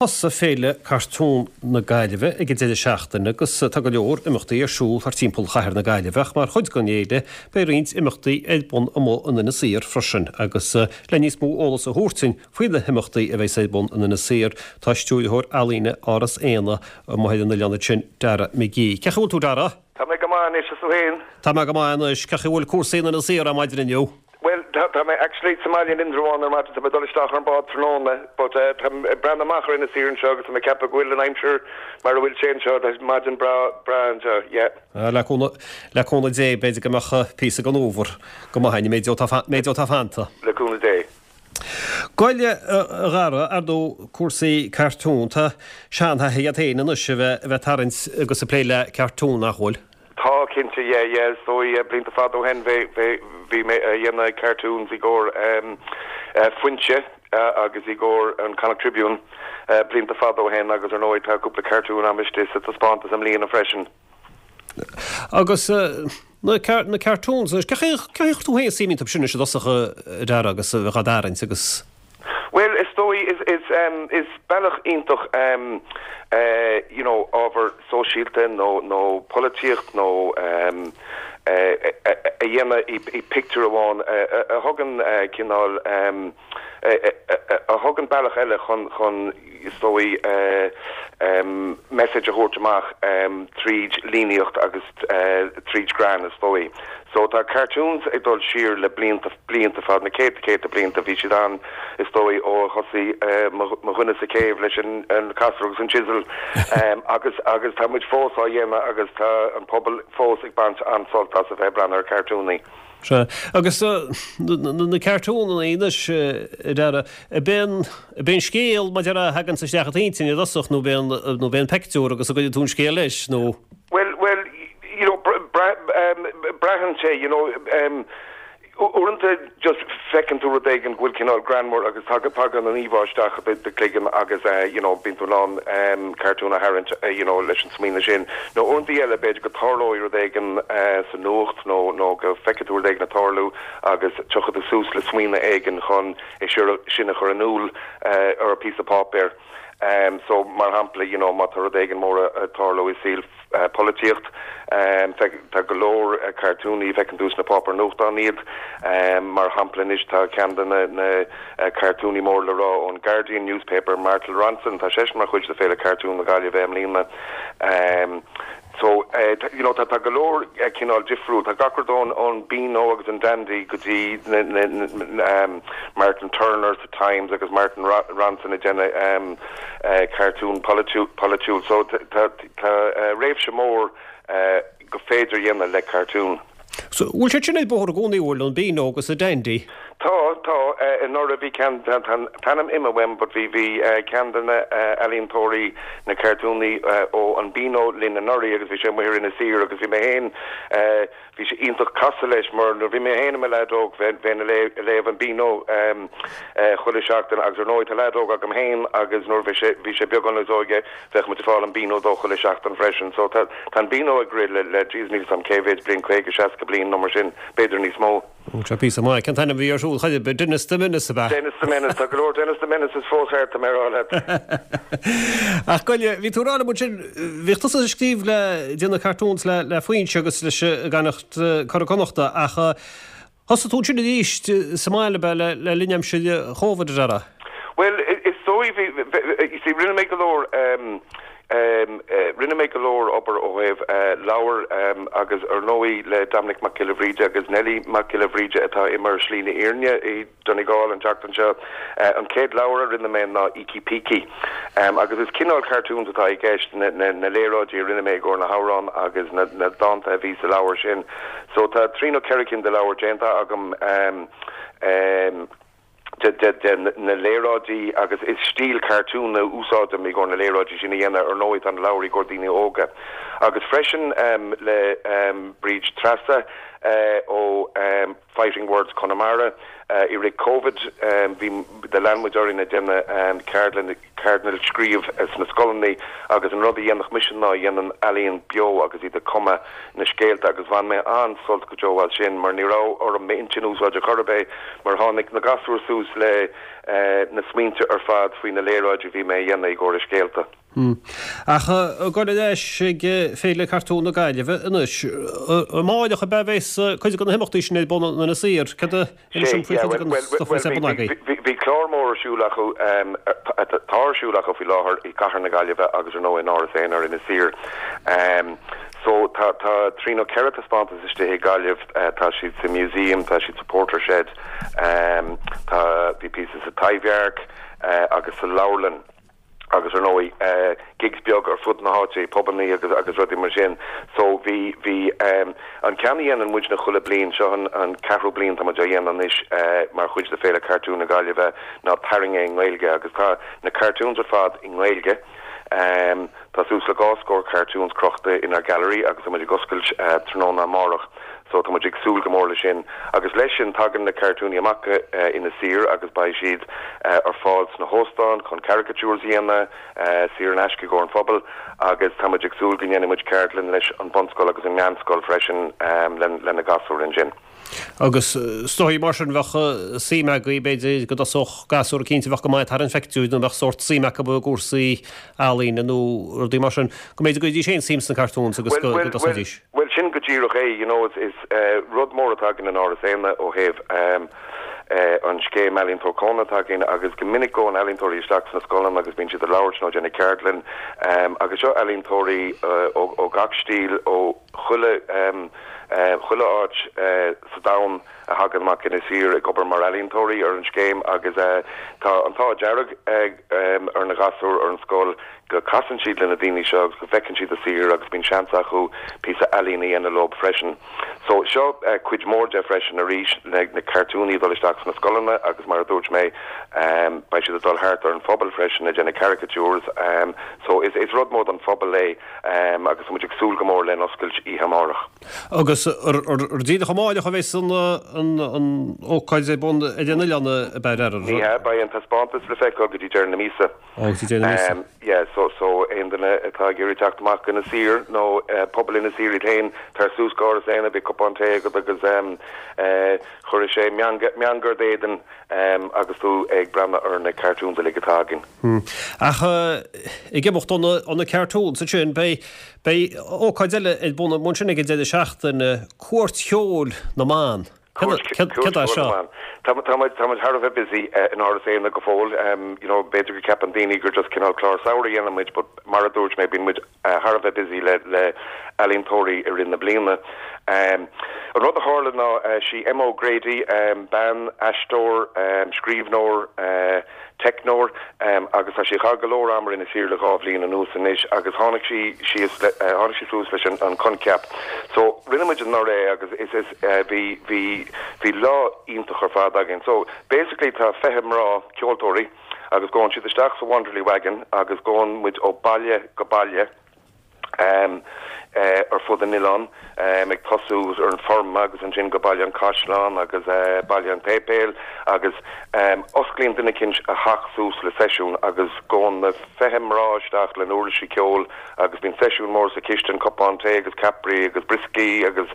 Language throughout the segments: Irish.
Thosaigh Féile Cartún na Gaillimhe ag an deireadh seachtaine agus tá go leor imeachtaí ar siúl thart timpeall chathair na Gaillimhe ach mar chuid den fhéile beidh roinnt imeachtaí ar bun amuigh in Inis Oírr freisin agus le níos mó eolas a thabhairt dúinn faoi na himeachtaí a bheas ar bun in Inis Oírr tá Stiúrthóir Ealaíne Áras Éanna amuigh ar an oileán ansin, Dara McGee. Cén chaoi a bhfuil tú Dara? Tá mé go maith anois, is tú féin? Tá mé go maith anois. Cén chaoi a bhfuil cúrsaí in Inis Oírr ar maidin inniu? Bhuel, tá, tá mé actually sa mbaile in Indreabhán ar maidin, tá mé ag dul isteach ar an bád tráthnóna, but eh, tá mé ag breathnú amach ar Inis Oírr anseo agus tá mé ag ceapadh go bhfuil an aimsir mar a bhfuil sé anseo, tá maidin breá, breá anseo, yeah. Ah, le cúnamh, le cúnamh Dé, b'fhéidir go mbeadh píosa den fhómhar go maith againn, méid atá, méid atá fanta. Le cúnamh Dé. Ghoil, a Dhara, ar ndóigh, cúrsaí cartún, tá seanthaithí agat féin anois a bheith, a bheith ag tarraingt agus ag plé le cartún, nach bhfuil? Tá, cinnte, yeah, yeah. Is dóigh, blianta fada ó shin, bhí, bhí, bhí mé a dhéanamh cartoons i gcomhair Foinse agus i gcomhair an Connacht Tribune blianta fada ó shin agus ar ndóigh tá cúpla cartoon a'm istigh sa taispeántas i mbliana freisin. Agus na, na cartoons anois, cén chaoi, cén chaoi a chuir tú féin suim iontu sin anois i dtosach a Dhara agus a bheith á dtarraingt agus. Bhuel, is dóigh, is, is, is bealach iontach you know ábhar sóisialta nó, nó polaitíocht nó a dhéanamh i, i pictiúr amháin a thugann cineál a thugann bealach eile chun, chun is dóigh message a thabhairt amach tríd líníocht agus tríd greann is dóigh. So tá cartoons ag dul siar le blianta, blianta fada, na céadta, céadta blianta, bhí siad ann is dóigh ó a thosaigh mo dhuine sa chéibh leis an casúr agus an chisel agus agus tá muid fós á dhéanamh agus tá an pobal fós ag baint an-sult as a bheith ag breathnú ar cartúnaí. Sea. Agus na cartúnanna anois, a Dhara, ab é an, ab é an scéal mar a déarfá a thaganns isteach i d'intinn i dtosach nó ab é an, nó ab é an peictiúr agus a gcuireann tú an scéal leis nó? Bhuel, bhuel, you know, braitheann sé, you know, uaireanta just feiceann tú rud éigin go bhfuil cineál greannmhar agus tagann an íomhá isteach i do chloigeann agus you know bíonn tú in ann cartún a tharraingt you know leis an smaoineamh sin. Nó uaireanta eile b'fhéidir go dtarlóidh rud éigin sa nuacht nó nó go bhfeicfidh tú rud éigin ag tarlú agus tiocfaidh tú suas le smaoineamh éigin chun é sin a chur in iúl ar phíosa páipéir. So mar shampla you know má tá rud éigin mór ag tarlú i saol polaitíocht. Tá go leor cartúnaí, feiceann tú sna páipéir nuachtáin iad. Mar shampla anois tá ceann de na cartúnaí mór le rá ón Guardian newspaper, Martin Ronson, tá seisean mar chuid de Féile Cartún na Gaillimhe i mbliana. So, you know, tá go leor cineál difriúil, tá gach rud ón ón Beano agus an Dandy go dtí na Martin Turner sa Times agus Martin Ronson ag déanamh cartún polaitiúil. So tá Tá réimse mór gur féidir a dhéanamh le cartún. So, bhfuil siad sin ar bóthar i gcónaí, bhfuil, an Beano agus an Dandy? Tá, tá. Anuraidh bhí ceann, tá an t-ainm imithe uaim but bhí, bhí ceann de na ealaíontóirí, na cartúnaí ó an Beano linn anuraidh agus bhí sé amuigh ar Inis Oírr agus bhí mé féin, Bhí sé iontach casadh leis mar nuair bhí mé féin i mo leaid óg bheinn ag léamh an Beano chuile seachtain agus ar ndóigh tá leaid óg agam féin agus nuair bhí sé bhí sé beagán níos óige bheadh muid ag fáil an Beano dó chuile seachtain freisin so tá tá an Beano ag rith le le jeez níl 'fhios a'm cé mhéid bliain 50, 60 bliain nó mar sin b'fhéidir níos mó. Tá píosa maith. Cén t-ainm a bhí air siúd? Cha bhí Dennis the Menace ab ea? Dennis the Menace. Tá go leor Dennis the Menaces fós thart, tá mé a rá leat. Ach ghoil, bhí tú ag rá liom ansin, bhíodh tusa ag scríobh le, déanamh cartoons le, le Foinse agus leis an gConnacht, Curadh Connachta ach thosaigh tú ansin arís sa mbaile ab ea le, le linn aimsir Chóvid, a Dhara? Bhuel, is dóigh, bhí, you see, rinne mé go leor, Rinne mé go leor obair ó thaobh leabhar agus ar ndóigh le Dominic Mac Giolla Bhríde agus Nellie Mac Giolla Bhríde atá imithe ar shlí na fhírinne i Donegal an tseachtain seo. An chéad leabhar a rinne mé ná Ící Pící agus is cineál cartoons atá i gceist, na léaráidí a rinne mé i gcomhair na hamhrán agus na dánta a bhí sa leabhar sin. So tá trí nó ceithre cinn de leabhair déanta agam. de na léaráidí agus is stíl cartún a úsáidim i gcomhair na léaráidí sin a dhéanamh. Ar ndóigh tá na leabhair i gcomhair daoine óga. Agus freisin le Bríd Treasa ó Fighting Words Conamara i rith Covid bhí, lean muid orainn ag déanamh ceardlann. Ceardlanna scríobh sna scoileanna agus an rud a dhéanfadh mise ná dhéanfainn ealaíon beo agus iad ag cumadh na scéalta agus bhain mé an-sult go deo as sin mar ní raibh orm m'intinn a úsáid ar chor ar bith mar tháinig na gasúir suas le na smaointe ar fad faoi na léaráidí a bhí mé a dhéanamh i gcomhair na scéalta. Ach ag dul ar ais ag Féile Cartún na Gaillimhe anois, amáireach ab ea a bheas cuid de na himeachtaí sin ar bun in Inis Oírr? Cad a inis dom faoi chuid den stuif a bheas ar bun agaibh? Bhí clár mór ar siúl acu, tá ar siúl acu faoi láthair i gcathair na Gaillimhe agus ar ndóigh in Áras Éanna ar Inis Oírr. So tá trí nó ceithre taispeántas istigh i Gaillimh, tá siad sa Museum, tá siad sa Portershed, tá, bhí píosa sa Taibhdhearc agus sa Leabharlann. agus ar ndóigh gigs beag ar fud na háite, pubannaí agus agus rudaí mar sin. So bhí, bhí an ceann a dhéanann muidne chuile bliain, seo an an ceathrú bliain tá muid á dhéanamh anois mar chuid de Féile Cartún na Gaillimhe ná Tarraing É i nGaeilge agus tá na cartoons ar fad i nGaeilge. Tá suas le dhá scór cartoons crochta inár gallery agus tá muid ag oscailt tráthnóna amárach so tá muid ag súil go mór leis sin. Agus leis sin tagann na cartúnaí amach go Inis Oírr agus beidh siad ar fáil sna hóstáin chun caricatures a dhéanamh, saor in aisce i gcomhair an phobail agus tá muid ag súil go ndéanfaidh muid ceardlann leis an bunscoil agus an meánscoil freisin le na gasúir ansin. Agus is dóigh mar sin bheadh suim agaibh, b'fhéidir, go dtosódh gasúr eicínt a bheadh go maith ag tarraingt phictiúir nó a mbeadh sórt suim acu i gcúrsaí ealaíne nó rudaí mar sin, go mb'fhéidir go gcuirfidís féin suim sna cartoons agus go dtosóidís. Bhuel, sin go díreach é, you know, is rud mór atá againn in Áras Éanna ó thaobh an scéim Ealaíontóir Cónaithe atá againn agus go minic gabhann ealaíontóirí isteach sna scoileanna agus bíonn siad ag labhairt nó ag déanamh ceardlann agus seo ealaíontóirí ó gach stíl, ó. chuile chuile áit sa domhan a thagann amach go Inis Oírr ag obair mar ealaíontóirí ar an scéim agus tá an t-ádh dearg ar na gasúir ar an scoil go casann siad le na daoine seo agus go bhfeiceann siad a saothar agus bíonn seans acu píosa ealaíne a dhéanamh leo freisin. So seo cuid mhór de freisin arís na na cartúnaí ag dul isteach sna scoileanna agus mar a dúirt mé beidh siad ag dul thart ar an phobal freisin ag déanamh caricatures so is is rud mór don phobal é. Agus tá muid ag súil go mór len oscailt oíche amárach. Agus ar díreach amáireach a bheas an ócáid ar bun ar an oileán ab ea ar. Ní hea, beidh an taispeántas le feiceáil go dtí deireadh na míosa. Ó, go dtí deireadh na míosa. Yeah, so so aon duine atá ag iarraidh teacht amach go Inis Oírr nó pobal Inis Oírr iad féin, tar suas go Áras Éanna, beidh cupán tae agat agus chuirfidh sé meangadh ar d'éadan agus tú ag breathnú ar na cartoons uilig atá againn. Ach ag imeacht ó na cartoons ansin, beidh, beidh ócáid eile ar bun ansin ag an deireadh seachtaine, Cuairt Cheoil na mBan. Céard é seo? Tá muid thar a bheith busy in Áras Éanna go fóill. You know, b'fhéidir go gceapann daoine gur just cineál clár samhraidh a dhéanann muid, but mar a dúirt mé, bíonn muid thar a bheith busy le le ealaíontóirí i rith na bliana. An rud a tharla ná sí Emma O'Grady, bean, aisteoir, scríbhneoir, teicneoir, agus tá sí ag caitheamh go leor ama ar Inis Oírr le dhá bhliain anuas anois agus tháinig sí síos le, tháinig sí suas leis an coincheap. So rinne muid anuraidh é agus is, is, bhí, bhí, bhí lá iontach ar fad againn. So basically tá 20 mná ceoltóirí agus gabhann siad isteach sa Wanderly Wagon agus gabhann muid ó baile go baile ar fud an oileáin, ag tosú ar an Forma agus ansin go Baile an Chaisleáin agus Baile an tSéipéil agus osclaíonn duine eicínt a theach suas le seisiún agus gabhann na 20 mná isteach le n-uirlisí ceoil agus bíonn seisiún mór sa chistin, cupán tae agus ceapairí agus brioscaí agus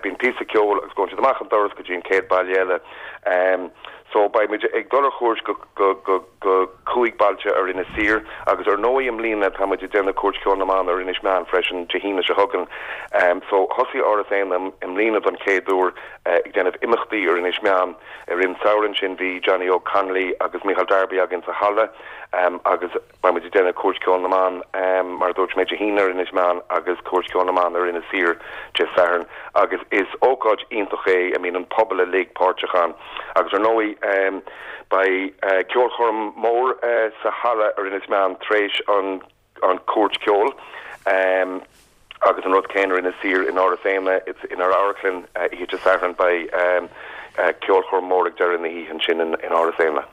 bíonn píosa ceoil agus gabhann siad amach an doras go dtí an chéad baile eile. So beidh muid ag dul ar chuairt go go go go cúig bailte ar Inis Oírr agus ar ndóigh i mbliana tá muid ag déanamh Cuairt Cheoil na mBan ar Inis Meáin freisin Dé hAoine seo chugainn. So thosaigh Áras Éanna i mbliana don chéad uair ag déanamh imeachtaí ar Inis Meáin. I rith an samhradh ansin bhí Johnny Óg Connolly agus Micheál Darby againn sa halla agus Beidh muid ag déanamh Cuairt Cheoil na mBan, mar a dúirt mé, Dé hAoine ar Inis Meáin agus Cuairt Cheoil na mBan ar Inis Oírr Dé Sathairn agus is ócáid iontach é a mbíonn an pobal uilig páirteach ann. Agus ar ndóigh beidh ceolchoirm mór sa halla ar Inis Meáin tar éis an Cuairt Cheoil. Agus an rud céanna ar Inis Oírr in Áras Éanna, inár amharclann, oíche Dé Sathairn beidh ceolchoirm mór ag deireadh na hoíche ansin in Áras Éanna.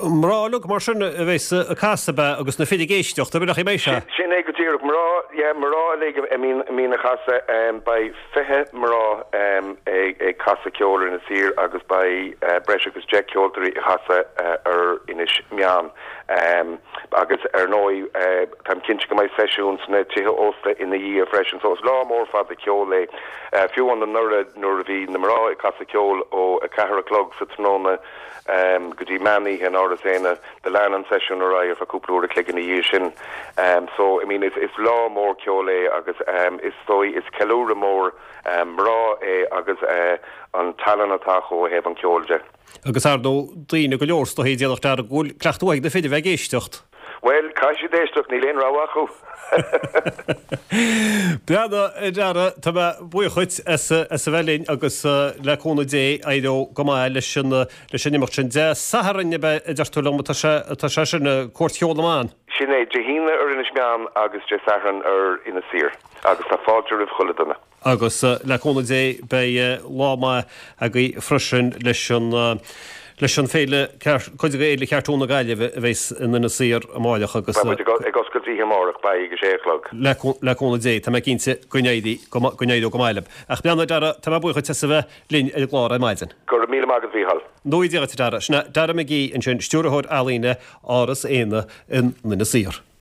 Mná uilig mar sin a bheas ag casadh ab ea agus na fir ag éisteacht, ab ea nach mbeidh sé? Sin é go díreach, mná, yeah, mná uilig a mbíonn ag casadh. Beidh 20 mná ag casadh ceoil ar Inis Oírr agus beidh breis agus 10 ceoltóirí ag casadh ar Inis Meáin. Agus ar ndóigh táim cinnte go mbeidh seisiúin sna tithe ósta ina dhiaidh freisin. So is lá mór fada ceoil é. Fiú amháin anuraidh nuair a bhí na mná ag casadh ceoil ó 4 a chlog sa tráthnóna go dtí meán oíche in Áras Éanna, do lean an seisiún ar aghaidh ar feadh cúpla uair a chloig ina dhiaidh sin. So I mean is is lá mór ceoil é agus is dóigh is ceiliúradh mór mná é agus an tallann atá acu ó thaobh an cheoil de. Agus ar ndóigh daoine go leor is dóichí a déanfadh dearmad go bhfuil cleachtadh mhaith ag na fir a bheith ag éisteacht. Bhuel, caithfidh siad éisteacht, níl aon rogha acu. Breathnaigh, a Dhara, tá mé buíoch dhuit as a bheith linn agus le cúnamh Dé éireoidh go maith leis an leis an imeacht sin. Dé Sathairn ab ea a deir tú liom atá sé atá sé sin, Cuairt Cheol na mBan? Sin é, Dé hAoine ar Inis Meáin agus Dé Sathairn ar Inis Oírr agus tá fáilte roimh chuile duine. Agus le cúnamh Dé beidh lá maith agaibh freisin leis an leis an féile, cuid de Fhéile Chartún na Gaillimhe a bheas in Inis Oírr amáireach agus. Beidh muid ag oscailt oíche amárach, beidh, ag a sé a chlog. Le cúnamh Dé, tá mé cinnte go n-éirí go n-éireoidh go maith libh. Ach a Dhara, tá mé buíoch dhuit as a bheith linn ar an gclár ar maidin. Go raibh míle maith agat, Mhícheál. Go ngnóthaí Dia dhuit, a Dhara. Sin é Dara McGee ansin, Stiúrthóir Ealaíne Áras Éanna in Inis Oírr.